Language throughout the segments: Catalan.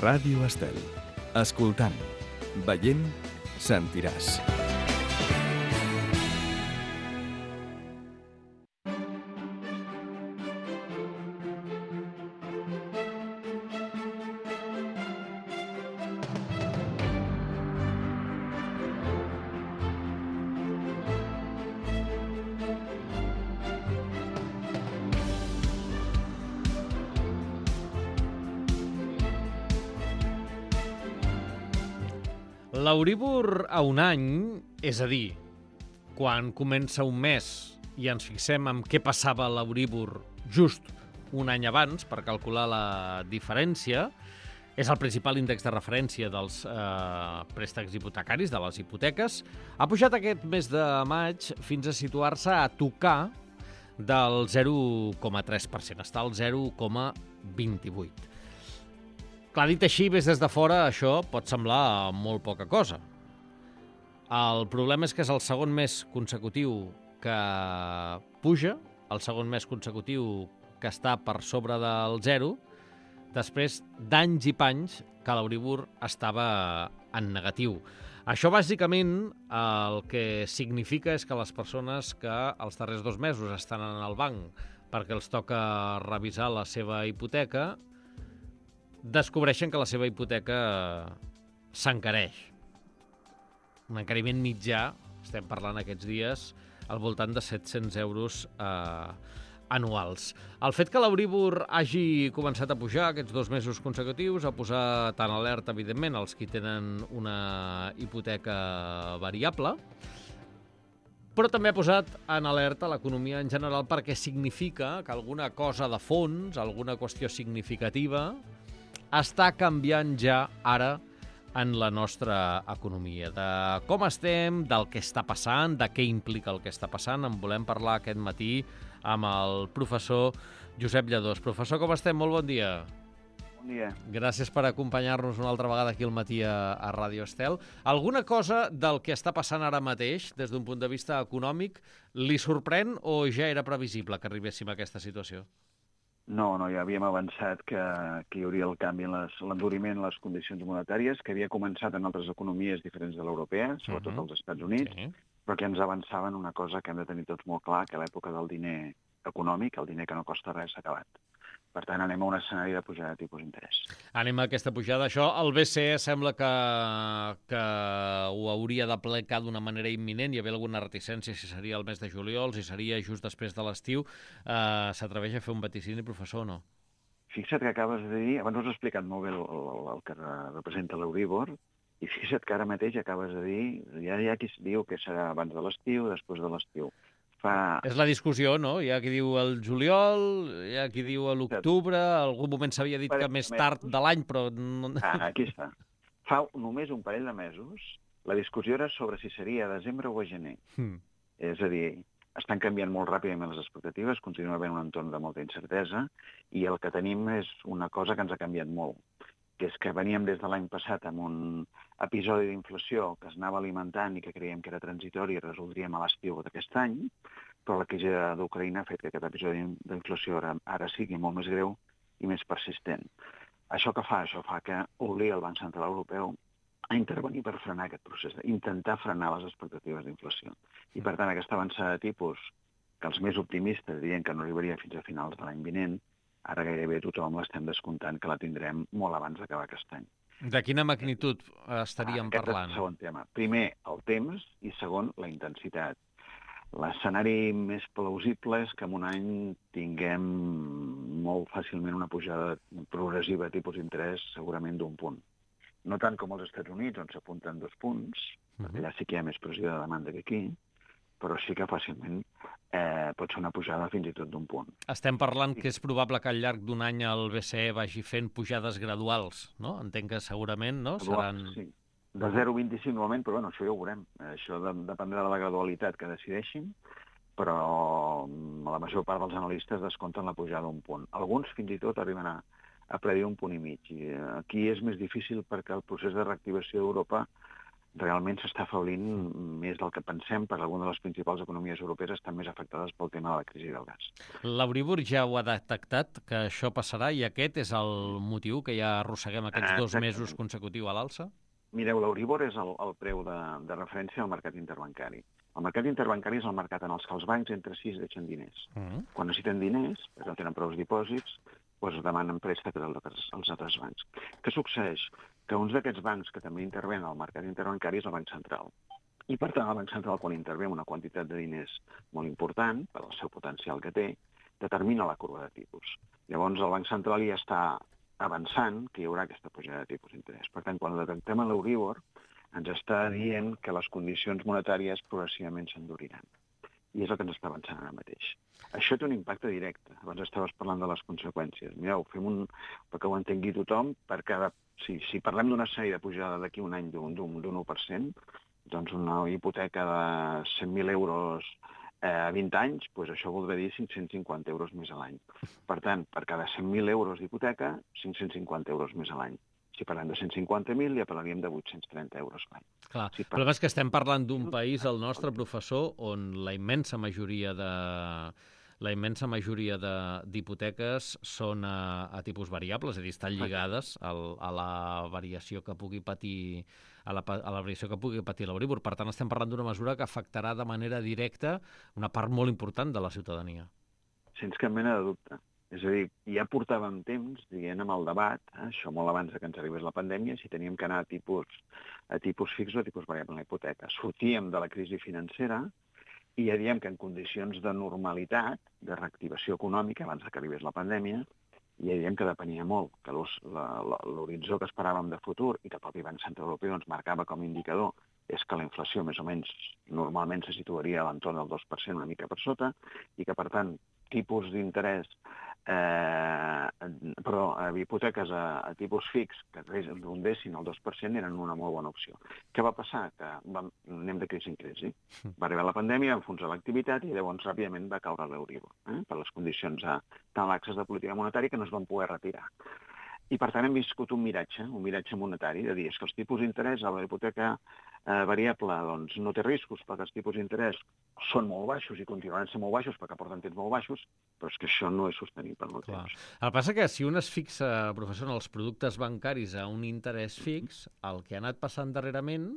Ràdio Estel. Escoltant, veient, sentiràs. L'Euríbor a un any, és a dir, quan comença un mes i ens fixem en què passava l'Euríbor just un any abans per calcular la diferència, és el principal índex de referència dels préstecs hipotecaris, de les hipoteques, ha pujat aquest mes de maig fins a situar-se a tocar del 0,3%, està al 0,28%. Clar, dit així, ves des de fora, això pot semblar molt poca cosa. El problema és que és el segon mes consecutiu que puja, el segon mes consecutiu que està per sobre del 0, després d'anys i panys que l'Euríbor estava en negatiu. Això, bàsicament, el que significa és que les persones que els darrers 2 mesos estan en el banc perquè els toca revisar la seva hipoteca, descobreixen que la seva hipoteca s'encareix. Un encariment mitjà, estem parlant aquests dies, al voltant de 700 euros anuals. El fet que l'Euríbor hagi començat a pujar aquests 2 mesos consecutius ha posat en alerta, evidentment, els qui tenen una hipoteca variable, però també ha posat en alerta l'economia en general perquè significa que alguna cosa de fons, alguna qüestió significativa, està canviant ja ara en la nostra economia. De com estem, del que està passant, de què implica el que està passant, en volem parlar aquest matí amb el professor Josep Lladós. Professor, com estem? Molt bon dia. Bon dia. Gràcies per acompanyar-nos una altra vegada aquí al matí a Ràdio Estel. Alguna cosa del que està passant ara mateix, des d'un punt de vista econòmic, li sorprèn o ja era previsible que arribéssim a aquesta situació? No, ja havíem avançat que hi hauria el canvi en l'enduriment en les condicions monetàries, que havia començat en altres economies diferents de l'europea, sobretot als Estats Units, però que ens avançaven una cosa que hem de tenir tots molt clar, que l'època del diner econòmic, el diner que no costa res, s'ha acabat. Per tant, anem a un escenari de pujada de tipus d'interès. Anem a aquesta pujada. Això, el BCE sembla que ho hauria d'aplicar d'una manera imminent. Hi havia alguna reticència si seria el mes de juliol, si seria just després de l'estiu. S'atreveix a fer un vaticini, professor, o no? Fixa't que acabes de dir, abans us he explicat molt bé el que representa l'Euríbor, i fixa't que ara mateix acabes de dir, ja hi ha qui diu que serà abans de l'estiu, després de l'estiu. És la discussió, no? Hi ha qui diu el juliol, hi ha qui diu a l'octubre, algun moment s'havia dit que més tard de l'any, però... Aquí està. Fa només un parell de mesos, la discussió era sobre si seria a desembre o a gener. És a dir, estan canviant molt ràpidament les expectatives, continua havent un entorn de molta incertesa, i el que tenim és una cosa que ens ha canviat molt, que és que veníem des de l'any passat amb un episodi d'inflació que es anava alimentant i que creiem que era transitori i resoldríem a l'estiu d'aquest any, però la crisi d'Ucraïna ha fet que aquest episodi d'inflació ara sigui molt més greu i més persistent. Això què fa? Això fa que obliga el Banc Central Europeu a intervenir per frenar aquest procés, intentar frenar les expectatives d'inflació. I, per tant, aquesta avançada de tipus, que els més optimistes diuen que no arribaria fins a finals de l'any vinent, ara gairebé tothom l'estem descomptant que la tindrem molt abans d'acabar aquest any. De quina magnitud estaríem parlant? Aquest és el segon tema. Primer, el temps, i segon, la intensitat. L'escenari més plausible és que en un any tinguem molt fàcilment una pujada progressiva de tipus d'interès segurament d'1 punt. No tant com als Estats Units, on s'apunten 2 punts, perquè allà sí que hi ha més pressió de demanda que aquí, però sí que fàcilment pot ser una pujada fins i tot d'1 punt. Estem parlant que és probable que al llarg d'un any el BCE vagi fent pujades graduals, no? Entenc que segurament, no? Seran... Sí, de 0,25 normalment, però bueno, això ja ho veurem. Això dependrà de la gradualitat que decideixin, però la major part dels analistes descompten la pujada d'1 punt. Alguns fins i tot arriben a predir 1,5 punts. I aquí és més difícil perquè el procés de reactivació d'Europa realment s'està afeblint més del que pensem, perquè algunes de les principals economies europees estan més afectades pel tema de la crisi del gas. L'Euríbor ja ho ha detectat, que això passarà, i aquest és el motiu que ja arrosseguem aquests 2 mesos consecutius a l'alça? Mireu, l'Euríbor és el preu de referència al mercat interbancari. El mercat interbancari és el mercat en el que els bancs entre si es deixen diners. Quan necessiten diners, perquè no tenen prou dipòsits, doncs demanen préstecs als altres bancs. Què succeeix? Que uns d'aquests bancs que també intervenen al mercat interbancari és el Banc Central. I, per tant, el Banc Central, quan intervé una quantitat de diners molt important, per al seu potencial que té, determina la corba de tipus. Llavors, el Banc Central ja està avançant que hi haurà aquesta pujada de tipus d'interès. Per tant, quan detectem l'Euríbor, ens està dient que les condicions monetàries progressivament s'enduriran. I és el que ens està avançant ara mateix. Això té un impacte directe. Abans estaves parlant de les conseqüències. Mireu, perquè ho entengui tothom, si parlem d'una sèrie de pujada d'aquí un any d'un 1%, doncs una hipoteca de 100.000 euros a 20 anys, doncs això voldrà dir 550 euros més a l'any. Per tant, per cada 100.000 euros d'hipoteca, 550 euros més a l'any. Si parlem de 150.000, ja parlaríem de 830 euros l'any. Clar, el problema és que estem parlant d'un país, el nostre, professor, on la immensa majoria d'hipoteques són a tipus variables, és a dir, estan lligades a la variació que pugui patir l'Euríbor. Per tant, estem parlant d'una mesura que afectarà de manera directa una part molt important de la ciutadania. Sense cap mena de dubte. És a dir, ja portàvem temps dient amb el debat, això molt abans que ens arribés la pandèmia, si teníem que anar a tipus fix o a tipus variable en la hipoteca. Sortíem de la crisi financera i ja diem que en condicions de normalitat, de reactivació econòmica, abans que arribés la pandèmia, ja diem que depenia molt, que l'horitzó que esperàvem de futur i que el propi Banc Central Europeu ens marcava com a indicador és que la inflació més o menys normalment se situaria a l'entorn del 2%, una mica per sota, i que, per tant, tipus d'interès, hipoteques a tipus fix que rondessin el 2% eren una molt bona opció. Què va passar? Que anem de crisi en crisi. Va arribar la pandèmia, va enfonsar l'activitat i llavors ràpidament va caure l'Euríbor, per les condicions tan laxes de política monetària que no es van poder retirar. I, per tant, hem viscut un miratge monetari, de dir que els tipus d'interès a la hipoteca variable doncs, no té riscos perquè els tipus d'interès són molt baixos i continuaran sent molt baixos perquè porten temps molt baixos, però és que això no és sostenible en el temps. El que passa que si un es fixa, professor, en els productes bancaris a un interès fix, el que ha anat passant darrerament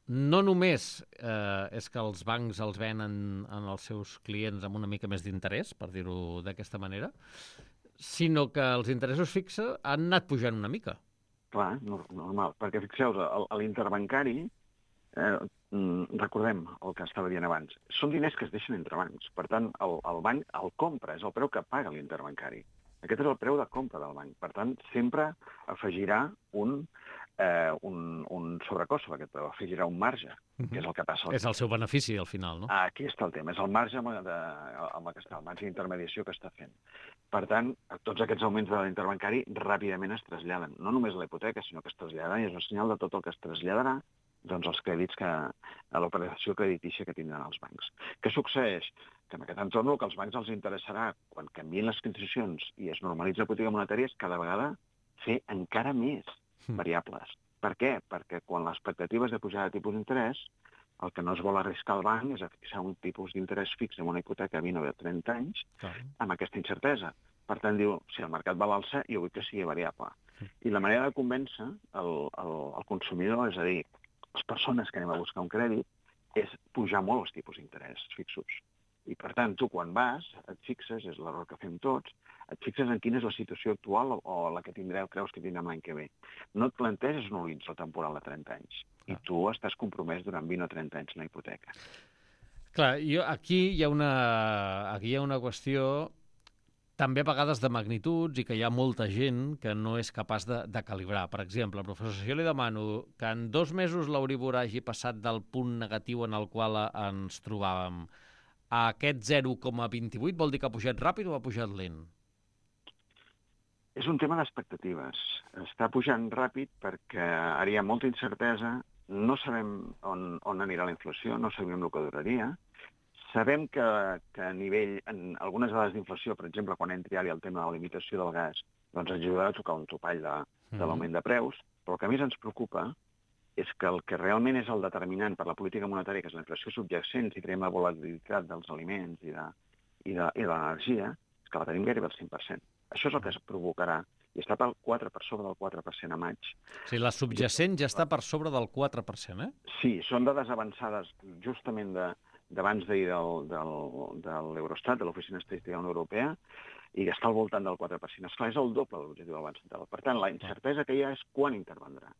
no només és que els bancs els venen als seus clients amb una mica més d'interès, per dir-ho d'aquesta manera, sinó que els interessos fixos han anat pujant una mica. Clar, normal, perquè fixeu-vos, l'interbancari, recordem el que estava dient abans, són diners que es deixen entre bancs. Per tant, el banc el compra, és el preu que paga l'interbancari. Aquest és el preu de compra del banc. Per tant, sempre afegirà un sobrecost, perquè afegirà un marge, que és el que passa. És el seu benefici, al final, no? Aquí està el tema, és el marge amb el marge d'intermediació que està fent. Per tant, tots aquests augments de l'interbancari ràpidament es traslladen, no només a la hipoteca, sinó que es traslladen i és un senyal de tot el que es traslladarà doncs els crèdits a l'operació creditícia que tindran els bancs. Què succeeix? Que en aquest entorn el que als bancs els interessarà, quan canvien les condicions i es normalitza la política monetària, és cada vegada fer encara més variables. Per què? Perquè quan l'expectativa és de pujada de tipus d'interès, el que no es vol arriscar al banc és a fixar un tipus d'interès fix en una hipoteca a 20 o de 30 anys amb aquesta incertesa. Per tant, diu, si el mercat va a l'alça, jo vull que sigui variable. I la manera de convèncer el consumidor, és a dir, les persones que anem a buscar un crèdit, és pujar molt els tipus d'interès fixos. I, per tant, tu quan vas, et fixes, és l'error que fem tots, et fixes en quina és la situació actual o la que creus que tindrem l'any que ve. No et planteges un horitzó temporal de 30 anys. I tu estàs compromès durant 20 o 30 anys en la hipoteca. Clar, aquí hi ha una qüestió també a vegades de magnituds i que hi ha molta gent que no és capaç de calibrar. Per exemple, professor, si jo li demano que en 2 mesos l'Euríbor hagi passat del punt negatiu en el qual ens trobàvem a aquest 0,28, vol dir que ha pujat ràpid o ha pujat lent? És un tema d'expectatives. Està pujant ràpid perquè ara hi ha molta incertesa, no sabem on anirà la inflació, no sabem el que duraria. Sabem que a nivell, en algunes dades d'inflació, per exemple, quan entri ara el tema de la limitació del gas, doncs ens ajudarà a tocar un topall de l'augment de preus, però el que més ens preocupa és que el que realment és el determinant per la política monetària, que és la inflació subjacent, si tenim la volatilitat dels aliments i de l'energia, és que la tenim gairebé al 100%. Això és el que es provocarà, i està per sobre del 4% a maig. O sigui, la subjacent ja està per sobre del 4%, eh? Sí, són dades avançades justament d'abans d'ahir de l'Eurostat, de l'Oficina Estadística de la Unió Europea, i està al voltant del 4%. Esclar, és el doble de l'objectiu del Banc Central. Per tant, la incertesa que hi ha és quan intervendrà.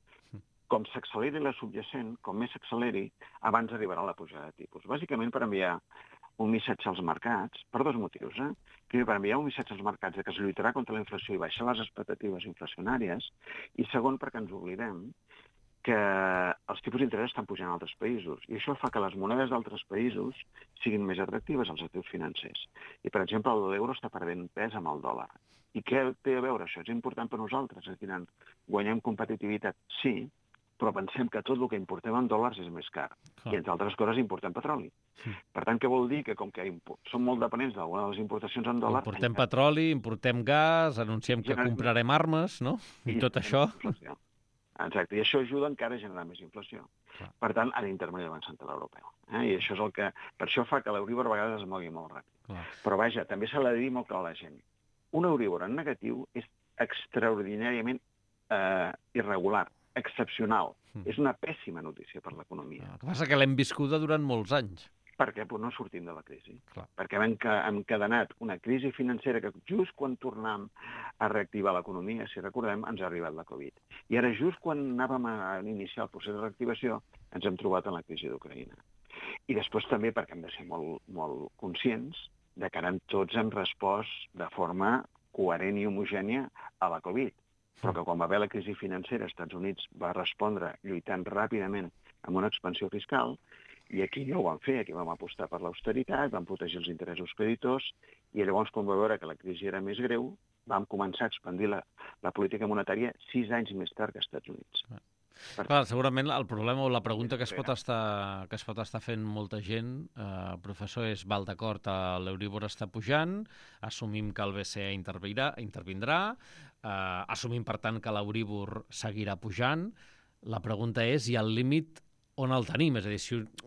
Com s'acceleri la subjacent, com més s'acceleri, abans arribarà la pujada de tipus. Bàsicament per enviar un missatge als mercats, per dos motius. Primer, per enviar un missatge als mercats que es lluitarà contra la inflació i baixar les expectatives inflacionàries, i segon, perquè ens oblidem que els tipus d'interès estan pujant a altres països, i això fa que les monedes d'altres països siguin més atractives als actius financers. I, per exemple, l'euro està perdent pes amb el dòlar. I què té a veure això? És important per nosaltres. És a dir, guanyem competitivitat, sí, però pensem que tot el que importem en dòlars és més car. I, entre altres coses, importem petroli. Per tant, què vol dir? Que com que som molt dependents d'alguna de les importacions en dòlars... Importem petroli, importem gas, anunciem que comprarem armes, no? I tot això... Exacte, i això ajuda encara a generar més inflació. Per tant, ha d'intervenir el Banc Central Europeu. I això és el que... Per això fa que l'Euríbor a vegades es mogui molt ràpid. Però vaja, també s'ha de dir molt clar a la gent. Un Euríbor en negatiu és extraordinàriament irregular, excepcional. És una pèssima notícia per l'economia. El que passa que l'hem viscuda durant molts anys. Perquè no sortim de la crisi. Perquè hem encadenat una crisi financera que just quan tornem a reactivar l'economia, si recordem, ens ha arribat la Covid. I ara, just quan anàvem a iniciar el procés de reactivació, ens hem trobat en la crisi d'Ucraïna. I després també perquè hem de ser molt conscients de que ara tots hem respost de forma coherent i homogènia a la Covid. Però que quan va haver la crisi financera, als Estats Units va respondre lluitant ràpidament amb una expansió fiscal, i aquí no ho vam fer, aquí vam apostar per l'austeritat, vam protegir els interessos creditors, i llavors, quan va veure que la crisi era més greu, vam començar a expandir la política monetària 6 anys més tard que als Estats Units. Clar, segurament el problema o la pregunta que es pot estar fent molta gent, professor, és val d'acord, l'Euríbor està pujant, assumim que el BCE intervindrà, assumim, per tant, que l'Euríbor seguirà pujant. La pregunta és, i el límit on el tenim? És a dir,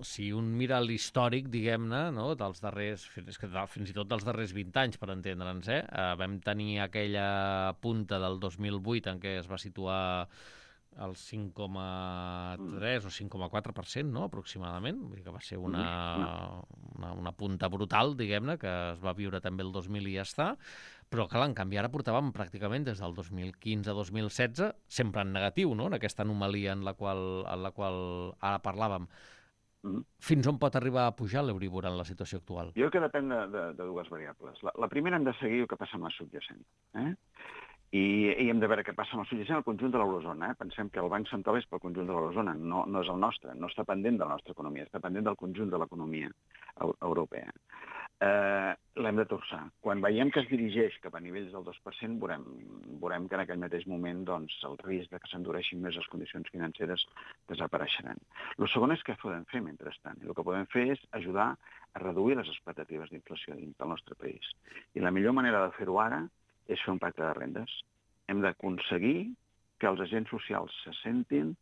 si un mira l'històric, diguem-ne, no, dels darrers, fins i tot dels darrers 20 anys, per entendre'ns, vam tenir aquella punta del 2008 en què es va situar el 5,3 o 5,4%, no?, aproximadament. Vull dir que va ser una punta brutal, diguem-ne, que es va viure també el 2000 i ja està. Però, clar, en canvi, ara portàvem pràcticament des del 2015 a 2016, sempre en negatiu, no?, en aquesta anomalia en la qual ara parlàvem. Fins on pot arribar a pujar l'Euríbor en la situació actual? Jo crec que depèn de dues variables. La primera hem de seguir el que passa amb la subjacent. I hem de veure què passa amb el subjacent al conjunt de l'eurozona. Pensem que el Banc Central és pel conjunt de l'eurozona, no és el nostre, no està pendent de la nostra economia, està pendent del conjunt de l'economia europea. L'hem de torçar. Quan veiem que es dirigeix cap a nivells del 2%, veurem que en aquell mateix moment doncs, el risc de que s'endureixin més les condicions financeres desapareixeran. El segon és què podem fer mentrestant. El que podem fer és ajudar a reduir les expectatives d'inflació dins del nostre país. I la millor manera de fer-ho ara és fer un pacte de rendes. Hem d'aconseguir que els agents socials se sentin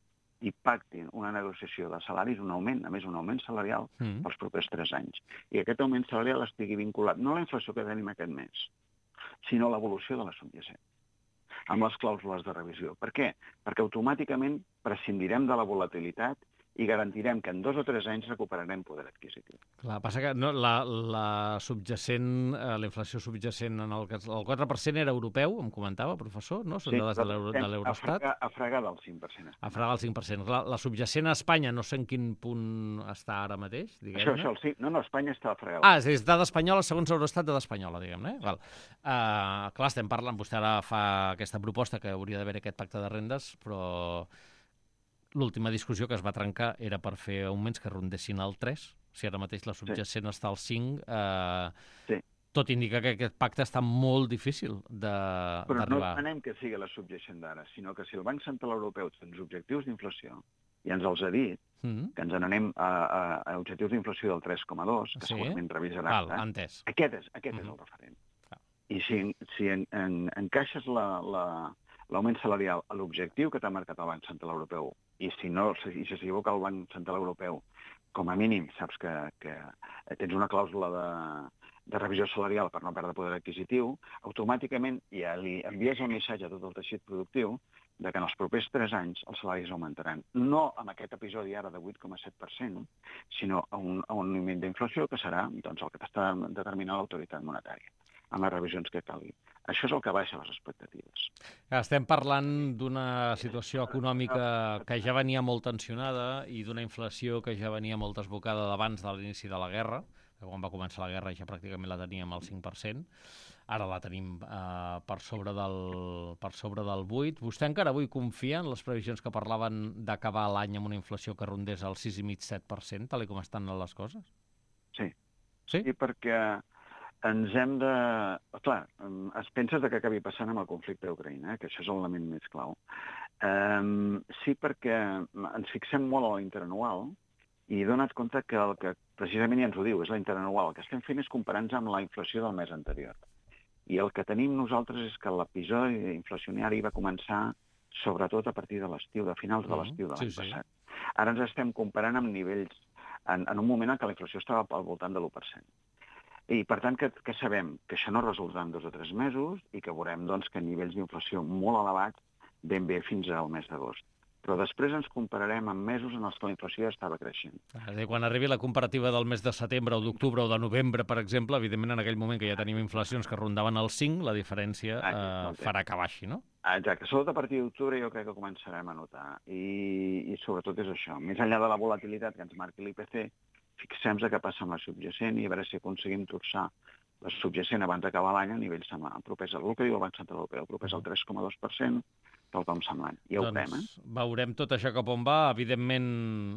i pactin una negociació de salaris, un augment, a més un augment salarial, pels propers 3 anys. I aquest augment salarial estigui vinculat no a la inflació que tenim aquest mes, sinó a l'evolució de la subjacent, amb les clàusules de revisió. Per què? Perquè automàticament prescindirem de la volatilitat i garantirem que en 2 o 3 anys recuperarem poder adquisitiu. Clar, passa que la subjacent, la inflació subjacent en el 4% era europeu, em comentava, professor, no? Són dades de l'Eurostat. A fregar del 5%. A fregar del 5%. La subjacent a Espanya, no sé en quin punt està ara mateix, diguem-ne. No, Espanya està a fregar. És dada espanyola, segons Eurostat, dada espanyola, diguem-ne. Clar, estem parlant, vostè ara fa aquesta proposta que hauria d'haver aquest pacte de rendes, però l'última discussió que es va trencar era per fer augments que rondessin el 3. Si ara mateix la subjacent està al 5, tot indica que aquest pacte està molt difícil d'arribar. Però no demanem que sigui la subjacent d'ara, sinó que si el Banc Central Europeu té uns objectius d'inflació, i ens els ha dit, que ens n'anem a objectius d'inflació del 3,2, que segurament revisarà. Entès. Aquest és el referent. I si encaixes l'augment salarial a l'objectiu que t'ha marcat el Banc Central Europeu i si s'equivoca el Banc Central Europeu, com a mínim saps que tens una clàusula de revisió salarial per no perdre poder adquisitiu, automàticament ja li envies el missatge a tot el teixit productiu de que en els propers 3 anys els salaris augmentaran. No amb aquest episodi ara de 8,7%, sinó a un nivell d'inflació que serà doncs, el que t'està determinant l'autoritat monetària, amb les revisions que calgui. Això és el que baixa les expectatives. Estem parlant d'una situació econòmica que ja venia molt tensionada i d'una inflació que ja venia molt desbocada d'abans de l'inici de la guerra, que quan va començar la guerra ja pràcticament la teníem al 5%, ara la tenim per sobre del 8%. Vostè encara avui confia en les previsions que parlaven d'acabar l'any amb una inflació que rondés el 6,5-7%, tal com estan les coses? Sí. Sí? I perquè ens hem de... Clar, es pensa que acabi passant amb el conflicte d'Ucraïna, que això és l'element més clau. Sí, perquè ens fixem molt a l'interanual i dona't compte que el que precisament ja ens ho diu, és la interanual. El que estem fent és comparar-nos amb la inflació del mes anterior. I el que tenim nosaltres és que l'episodi inflacionari va començar sobretot a partir de l'estiu, de finals de l'estiu de l'any passat. Ara ens estem comparant amb nivells, en un moment en què la inflació estava al voltant de l'1%. I, per tant, que sabem que això no resoldrà en 2 o 3 mesos i que veurem doncs, que nivells d'inflació molt elevats ben bé fins al mes d'agost. Però després ens compararem amb mesos en els que la inflació ja estava creixent. Quan arribi la comparativa del mes de setembre o d'octubre o de novembre, per exemple, evidentment en aquell moment que ja tenim inflacions que rondaven el 5, la diferència farà que baixi, no? Exacte. Sobretot a partir d'octubre jo crec que començarem a notar. I sobretot és això. Més enllà de la volatilitat que ens marqui l'IPC, fixem-nos què passa amb la subjacent i a veure si aconseguim torçar la subjacent abans d'acabar l'any a nivells propers al que diu el Banc Central Europeu, propers al 3,2%, tal com semblant. Ja ho veurem, veurem tot això cap on va. Evidentment,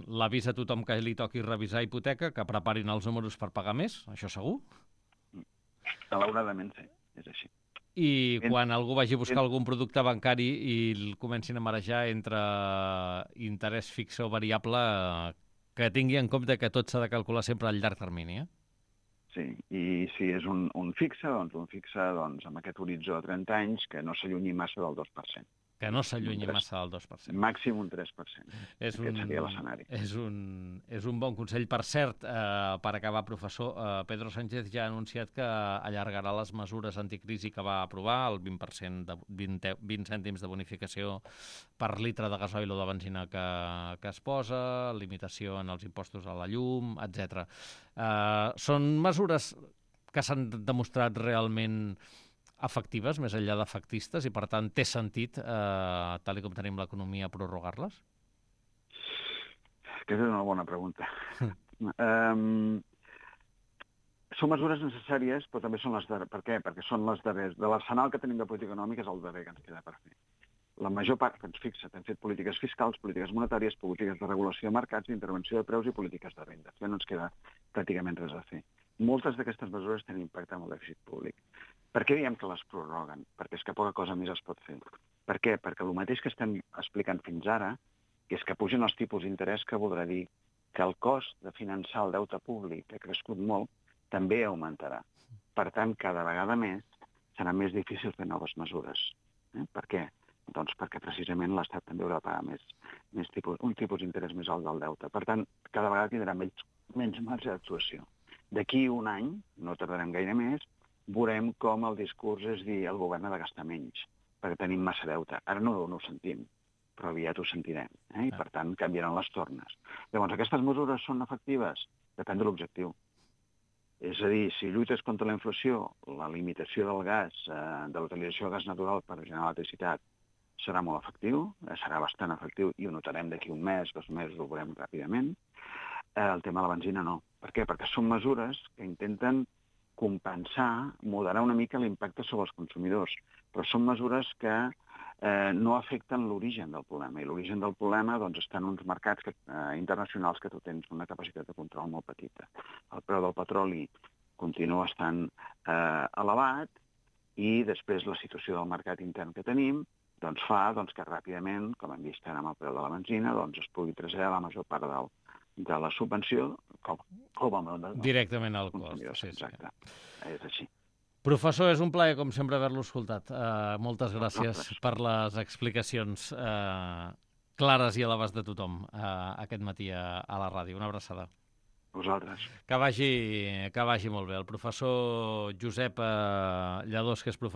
l'avís a tothom que li toqui revisar hipoteca, que preparin els números per pagar més, això segur? Malauradament sí, és així. I quan algú vagi a buscar algun producte bancari i el comencin a marejar entre interès fixe o variable, que tingui en compte que tot s'ha de calcular sempre al llarg termini, Sí, i si és un fixe, doncs amb aquest horitzó de 30 anys que no s'allunyi massa del 2%. Que no s'allunyi massa del 2%. Màxim un 3%. Aquest seria l'escenari. És un bon consell. Per cert, per acabar, professor, Pedro Sánchez ja ha anunciat que allargarà les mesures anticrisi que va aprovar, el 20% de 20 cèntims de bonificació per litre de gasoil o de benzina que es posa, limitació en els impostos a la llum, etc. Són mesures que s'han demostrat realment efectives, més enllà d'efectistes, i per tant té sentit, tal com tenim l'economia, prorrogar-les? Aquesta és una bona pregunta. Són mesures necessàries, però també són les darreres. Per què? Perquè són les darreres. De l'arsenal que tenim de política econòmica és el darrer que ens queda per fer. La major part que ens fixa, hem fet polítiques fiscals, polítiques monetàries, polítiques de regulació de mercats, d'intervenció de preus i polítiques de renda. Ja no ens queda pràcticament res a fer. Moltes d'aquestes mesures tenen impacte en el dèficit públic. Per què diem que les prorroguen? Perquè és que poca cosa més es pot fer. Per què? Perquè el mateix que estem explicant fins ara, que és que pugen els tipus d'interès, que voldrà dir que el cost de finançar el deute públic, que ha crescut molt, també augmentarà. Per tant, cada vegada més serà més difícil fer noves mesures. Per què? Doncs perquè precisament l'Estat també haurà de pagar un tipus d'interès més alt del deute. Per tant, cada vegada tindrà menys marge d'actuació. D'aquí un any, no tardarem gaire més, veurem com el discurs és dir el govern ha de gastar menys, perquè tenim massa deute. Ara no ho sentim, però aviat ho sentirem, i per tant canviaran les tornes. Llavors, aquestes mesures són efectives? Depèn de l'objectiu. És a dir, si lluites contra la inflació, la limitació del gas, de l'utilització del gas natural per generar electricitat, serà molt efectiu, serà bastant efectiu i ho notarem d'aquí un mes, 2 mesos, ho veurem ràpidament. El tema de la benzina no. Per què? Perquè són mesures que intenten compensar, moderar una mica l'impacte sobre els consumidors, però són mesures que no afecten l'origen del problema. I l'origen del problema està en uns mercats internacionals que tu tens una capacitat de control molt petita. El preu del petroli continua estant elevat i després la situació del mercat intern que tenim fa que ràpidament, com hem vist ara amb el preu de la benzina, es pugui traslladar la major part de la subvenció directament al cost. Exacte, és així. Professor, és un plaer, com sempre, haver-lo escoltat. Moltes gràcies per les explicacions. clares i a l'abast de tothom aquest matí a la ràdio. Una abraçada. Vosaltres. Que vagi molt bé. El professor Josep Lladós, que és professor